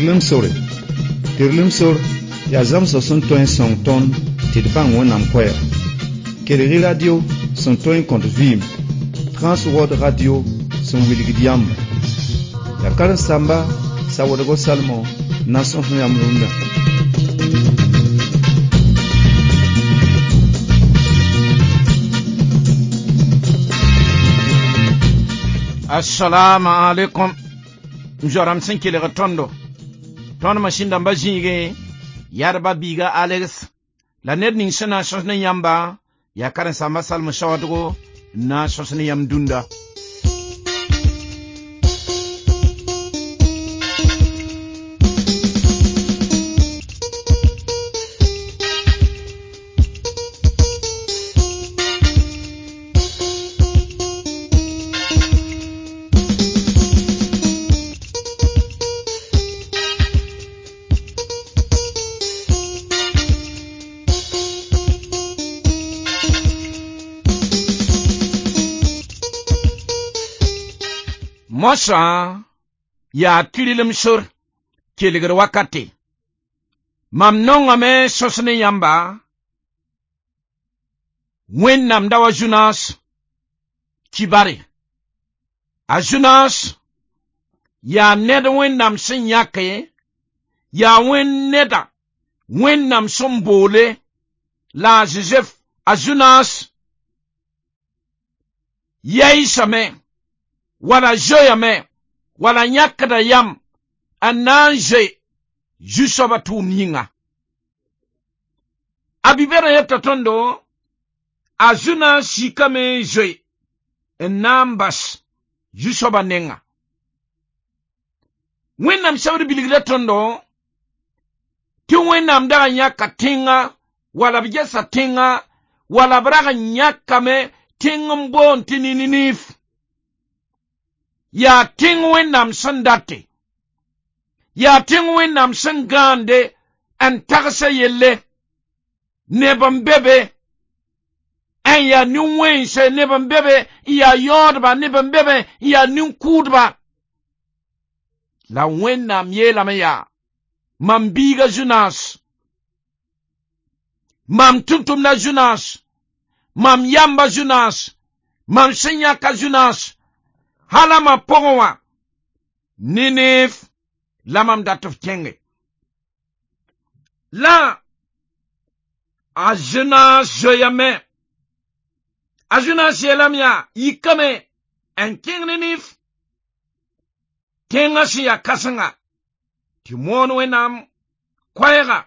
Tɩrlem sore. Tɩrlem sor yaa zãmsg sẽn tõe n sõng tõnd tɩ d bãng Wẽnnaam koɛɛg. Kelg-y radio sẽn tõe n kõt vɩɩm, Transworld Radio sẽn wilgd yãmba. Yaa karen-saamba Sawadgo Salmon n na n sõs yãmb rũndã. Assalamu alaikum. M zoa-rãmb sẽn kelg tõndo. Tõnd masĩn-dãmbã zĩigẽ, yadba biiga Alex la ned ning sẽn na n sõs ne yãmba yaa karen-saamba Salmo Sawadgo n na n sõs ne yãmb dũnda. Moasã yaa tɩrlem sor kelgr wakate. Mam nongame sõs ne yãmba Wẽnnaam da wa Zunaas kibare. A Zunaas yaa ned Wẽnnaam sẽn yãke, yaa Wẽnd neda Wẽnnaam sẽn boole la a Zozɛf. A Zunaas yaɩsame wala zoeeyame wala yãkda yam n na n zoe zu-soabã tʋʋmd yĩnga. A bi-bɛrã yeta tõndo a Zunaas sikame n zoe n na n bas zu-soabã nenga. Wẽnnaam sebr bilgda tõndo tɩ Wẽnnaam dag n yãka tẽnga wala b gesa tẽnga wala b rag n yãkame tẽng n boond tɩ Nininiif. Yaa tẽng Wẽnnaam sẽn date, yaa tẽng Wẽnnaam sẽn gãande n tagsa yelle neb n be be n yaa nin-wẽnse, neb n be be n yaa yaoodba, neb n be be n yaa nin-kʋʋdba. La Wẽnnaam yeelame yaa mam biiga Zunaas, mam tʋm-tʋmda Zunaas, mam yamba Zunaas, mam sẽn yãka Zunaas, hala ma pʋgẽ wã Ninif la mam dat f kẽnge. La a Zunaas zoeeyame. A Zunaas yeelame yaa yikame n kẽng Ninif tẽngã sẽn yaa kãsenga tɩ moon Wẽnnaam koɛɛga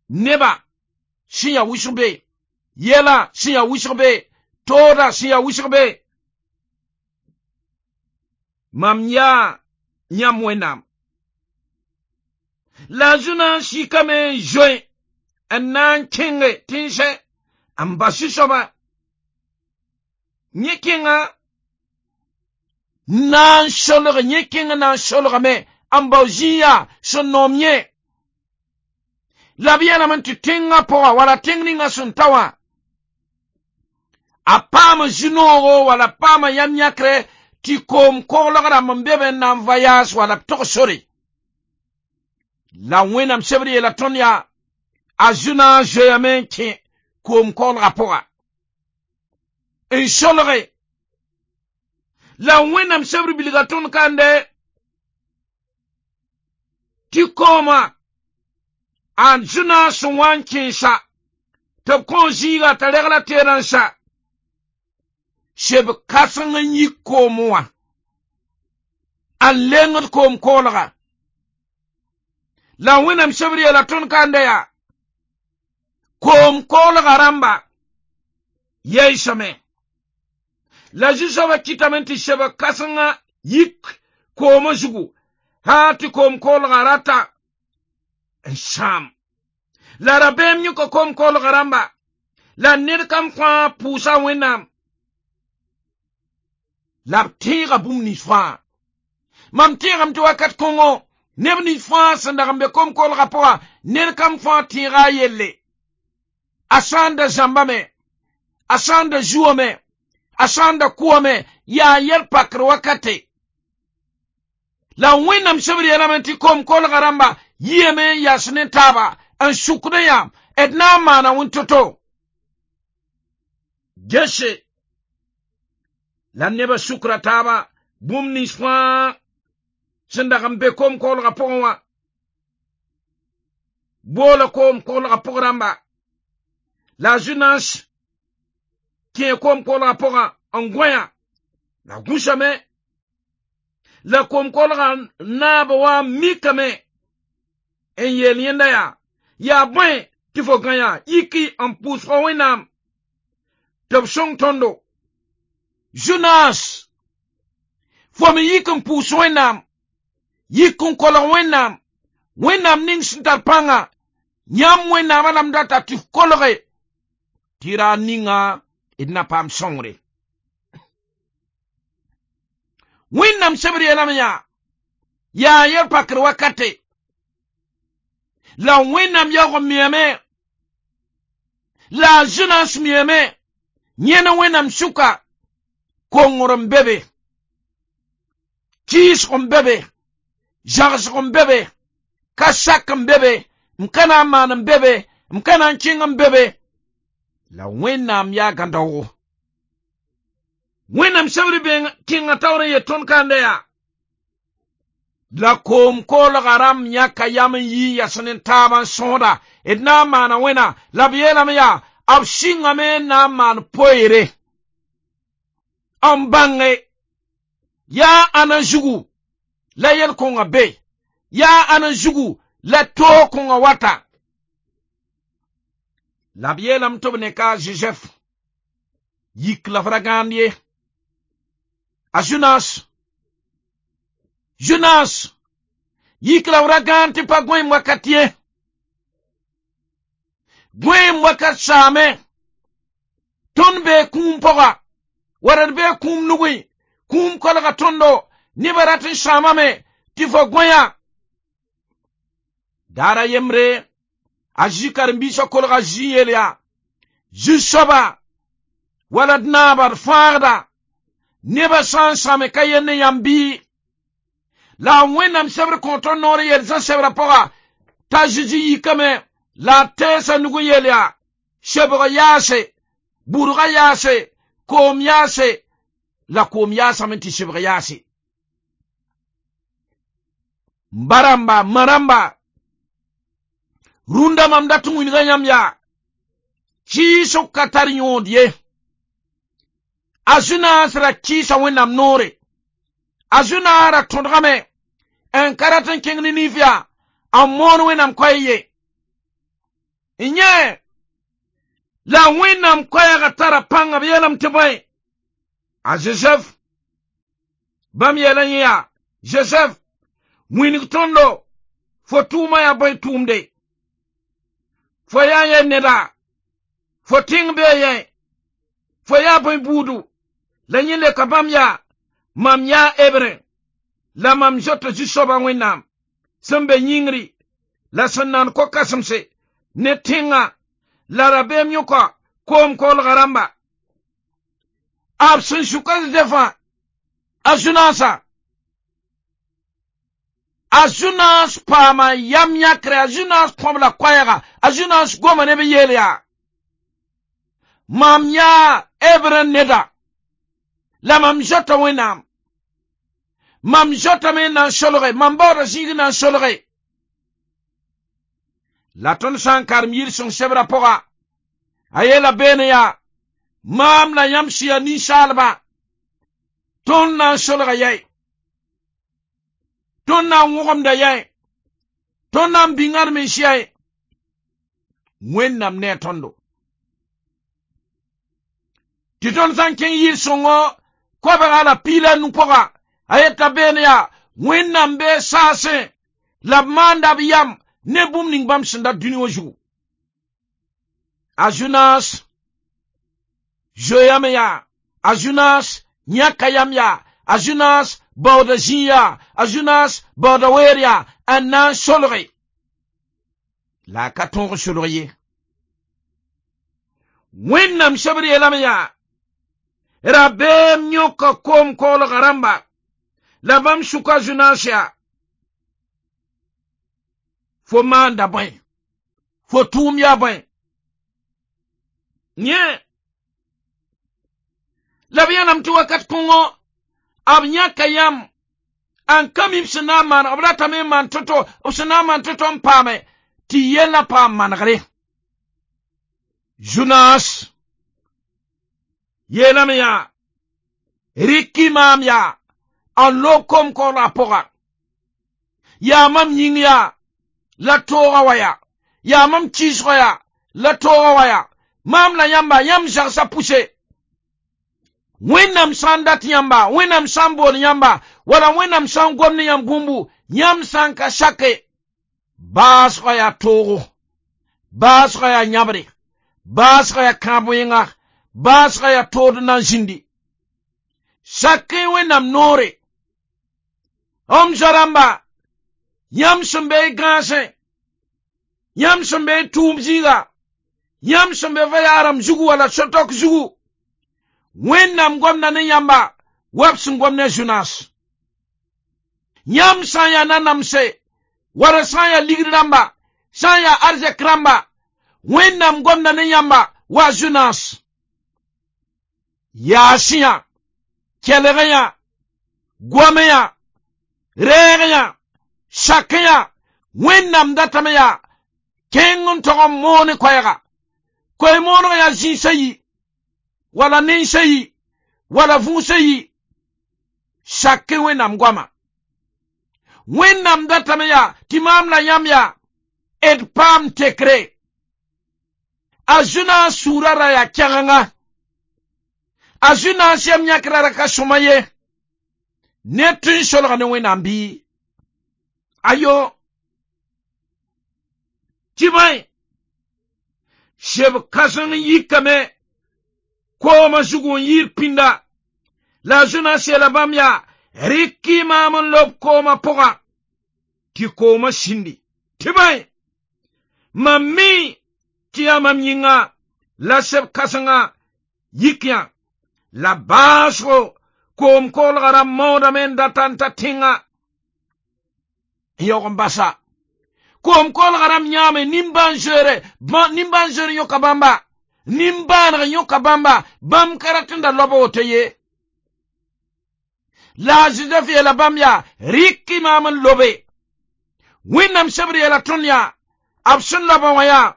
neba sẽn yaa wʋsg be, yɛla sẽn yaa wʋsg be, tooda sẽn yaa wʋsg be. Mam yaa yãmb Wẽnnaam. La a Zunaas sikame n zoe n na n kẽnge tẽnsɛ n bas zu-soabã. Yẽ kẽnga na n solg, yẽ kẽng na n solgame n bao zĩiga sẽn noom yẽ. La b yeelame tɩ tẽngã pʋga wala tẽng ninga sẽn ta wã a paam zu-noogo wala paama yam yãkre tɩ koom koglg rãmb n be be n na n voyage wala b tog sore. La Wẽnnaam sebr yeela tõnd yaa a Zunaas zoeeyame n kẽ koom koglgã pʋga n solge. La Wẽnnaam sebr bilga tõnd kande tɩ kooma a Zunaas sẽn wa n kẽesa tɩ b kõ zĩiga t'a regla teerã n sa seb kãseng n yik koom wã n lengd koom koolga. La Wẽnnaam sebr yeela tõnd kanda yaa koom koolga rãmba yaɩsame. La zu-soabã kɩtame tɩ seb kãsengã yik koomã zugu haa tɩ koom koolgã rata n sãam. La rabeem yõka koom koolgã rãmba la ned kam fãa pʋʋsa Wẽnnaam. La b tẽega bũmb nins fãa. Mam tẽegame tɩ wakat kõngo neb nins fãa sẽn dag n be koom-koolgã pʋga ned kam fãa tẽega a yelle. A sã n da zãmbame, a sã n da zuame, a sã n da kʋame, yaa yɛl pakr wakate. La Wẽnnaam sebr yeelame tɩ koom-koglgã rãmba yiame n yas ne taaba n sukd yã d na n maana wẽn to-to. Gese la nebã sukra taaba bũmb nins fãa sẽn dag n be koom-koglgã pʋgẽ wã. Boola koom-koglgã pʋg rãmba. La a Zunaas kẽe koom-koglgã pʋgã n gõe-yã. La gũsame. La koom-koglgã naab wã mikame n yeel yẽnda yaa: yaa bõe tɩ fo gã yaa yiki n pʋʋs fo Wẽnnaam tɩ b sõng tõndo. Zunaas, fo me yik n pʋʋs Wẽnnaam, yik n kolg Wẽnnaam, Wẽnnaam ning sẽn tar pãnga, yãmb Wẽnnaamã la m data tɩ f kolge, tɩ ra ninga d na paam sõngre. Wẽnnaam sebr yeelame yaa, yaa yel pakr wakate. La Wẽnnaam yaoog n miame, la a Zunaas miame, yẽne Wẽnnaam sʋka kongr n be be, kɩɩsg n be be, zagsg n be be, ka sak n be be, m ka na n maan n be be, m ka na n kẽng n be be. La Wẽnnaam yaa gãdaoogo. Wẽnnaam sebr kẽnga taoor n yet tõnd kanda yaa. La koom-koglgã rãmb yãka yam n yi n yas ne taab n sõoda d na n maana wẽna la b yeelame yaa b sɩngame n na n maan poeere n bãnge yaa ãna zugu la yel-kõngã be, yaa ãna zugu la toog kõngã wata. La b yeelame tɩ b ne ka a Zozɛf yik la f ra gãand ye. A Zunaas, Zunaas, yik la f ra gãand tɩ pa gõeem wakat ye. Gõeem wakat saame, tõnd bee kũum pʋga, wala d bee kũum nugẽ, kũum kolga tõndo, nebã rat n sãamame tɩ fo gõe-yã. Daara yembre, a Zĩ karen-biisã kolga zĩ yeel yaa, Zu-soaba, wala d naaba d fãagda, nebã sã n sãame ka yell ne yãmb bɩ. La Wẽnnaam sebr kõ tõnd noor n yeel Zã sebrã pʋga t'a Zezi yikame la a teesa nug n yeel yaa, sebg yaase, bʋrga yaase, koom yaase, la koom yaasame tɩ sebg yaase. M ba rãmba, m ma rãmba, rũndã mam dat n wilga yãmb yaa, kɩɩsg ka tar yõod ye. A Zunaas ra kɩɩsa Wẽnnaam noore. A Zunaas ra tõdgame n ka rat n kẽng ne nif yaa, n moon Wẽnnaam koɛɛ ye. N yẽ, la Wẽnnaam koɛɛgã tara pãnga b yeelame tɩ bõe? A Zozɛf, bãmb yeela yẽ yaa, Zozɛf, wilg tõndo, fo tʋʋmã yaa bõe tʋʋmde? Fo yaa yẽ neda, fo tẽng bee yẽ, fo yaa bõe buudu? La yẽ leoka bãmb yaa, mam yaa Hebre, la mam zoeta Zu-soabã Wẽnnaam, sẽn be yĩngri la sẽn nand ko-kãsemse ne tẽngã la rabeem yõka koom-koglgã rãmba. B sẽn sʋka Zozɛfã, a Zunaasã, a Zunaas paama yam yãkre, a Zunaas kõb la koɛɛga, a Zunaas goma ne b yeel yaa, mam yaa Hebre neda, la mam zoeta Wẽnnaam. Mam zoetame n na n solge, mam baooda zĩig n na n solge. La tõnd sã n karem yir sõng sebrã pʋga, a yeela beene yaa, maam la yãmb sẽn yaa ninsaalba, tõnd na n solga yɛi, tõnd na n wõgemda yɛi, tõnd na n bĩnga d mens yɛi. Wẽnnaam ne a tõndo. Tɩ tõnd sã n kẽng yir sõngo koabga la piila nu pʋga, a yeta beene yaa, Wẽnnaam bee saasẽ la b maanda b yam ne bũmb ning bãmb sẽn dat dũni wã zugu. A Zunaas zoeeyame yaa, a Zunaas yãka yam yaa, a Zunaas baooda zĩig yaa, a Zunaas baooda weer yaa, n na n solge. La a ka tõog n solg ye. Wẽnnaam sebr yeelame yaa, rabeem yõka koom-koglgã rãmba, La bãmb sʋka Zʋnaas yaa fo maanda bõe, fo tʋʋm yaa bõe. Yẽ la b yãlame tɩ wakat kõngõ b yãka yãmb n ka mi b sẽn na n maan, b ratame n maan to-to, b sẽn na n maan to-to n paame tɩ yellã paam manegre. Zʋnaas yeelame yaa rɩk-y maam yaa n lob koom-koglgã pʋga, yaa mam yĩng yaa la toogã wa yaa, yaa mam kɩɩsgã yaa la toogã wa yaa, maam la yãmba, yãmb zagsã pʋse. Wẽnnaam sã n dat yãmba, Wẽnnaam sã n bool yãmba, wala Wẽnnaam sã n gom ne yãmb bũmbu, yãmb sã n ka sake, baasgã yaa toogo, baasgã yaa yãbre, baasgã yaa kãab wẽnga, baasgã yaa tood n na n zĩndi. Sak-y Wẽnnaam noore. M zoa-rãmba, yãmb sẽn be y gãasẽ, yãmb sẽn be y tʋʋm zĩiga, yãmb sẽn be va-yaarem zugu wala so-tɔk zugu, Wẽnnaam gomda ne yãmba wa b sẽn gom ne Zʋnaas. Yãmb sã n yaa nanamse, wala sã n yaa ligd rãmba, sã n yaa arzɛk rãmba, Wẽnnaam gomda ne yãmba wa Zʋnaas. Yaas-yã, kelg-yã, goam-yã, rɛɛg-yã, sak-yã, Wẽnnaam datame yaa kẽng n tog n moon koɛɛga. Koe-mooneg yaa zĩisã yi, wala nensã yi, wala vũusã yi, sak-y Wẽnnaam goama. Wẽnnaam datame yaa tɩ maam la yãmb yaa d paam tekre. A Zʋnaas sũurã ra yaa kɛgenga. A Zʋnaas yam yãkra ra ka sõma ye. Ned tõe n solg ne Wẽnnaam bɩ? Ayo. Tɩ bõe, seb kãseng n yikame koomã zugu n yɩɩd pĩnda. La a Zʋnaas yeela bãmb yaa rɩk-y maam n lob koomã pʋga tɩ koomã sĩndi. Tɩ bõe, mam mi tɩ yaa mam yĩnga la seb kãsengã yik yã. La baasgo koom-koglgã ra maoodame n data n ta tẽnga n yaoog n basa. Koom-koglgã rãmb yãame nimbãan-zoeere, nimbãan-zoeer yõka bãmba, nimbãaneg yõka bãmba, bãmb ka rat n da loab woto ye. La a Zozɛf yeela bãmb yaa rɩk-y maam n lobe. Wẽnnaam sebr yeela tõnd yaa b sẽn loabã wã yaa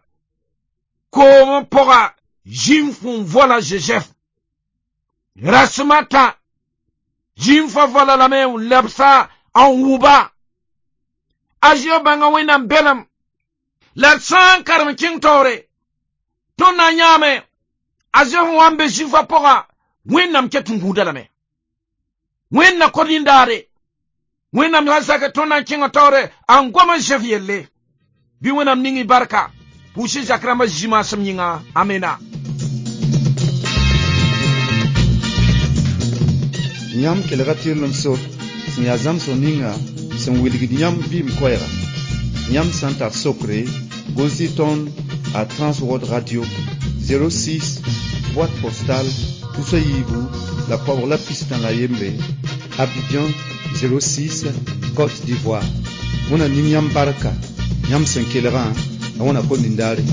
koomã pʋga zĩnf n vola Zozɛf. Rasem a tã zĩnfã vola lame n lebsa n wʋba. A zɩ bãnga Wẽnnaam belem la d sã n karem kẽng taoore tõnd na n yãame a Zɛf n wa n be zĩnfã pʋga, Wẽnnaam ket n gũuda lame. Wẽnna kod yĩndaare. Wẽnnaam sã n sak tõnd na n kẽnga taoore n gom a Zɛf yelle. Bɩ Wẽnnaam ning y barka. Pʋʋs-y zak rãmbã zĩ-maasem yĩnga. Amena. Yãmb kelga tɩrlem sor sẽn yaa zãmsg ninga sẽn wilgd yãmb vɩɩm koɛɛga. Yãmb sã n tar sokre, gos-y tõnd a Transworld Radio 06, boîte postale tusa yiibu la koabg la pistã la yembre, Abidjan 06, Côte d'Ivoire. Wẽnna ning yãmb barka, yãmb sẽn kelgã, la wẽnna kõn nindaare.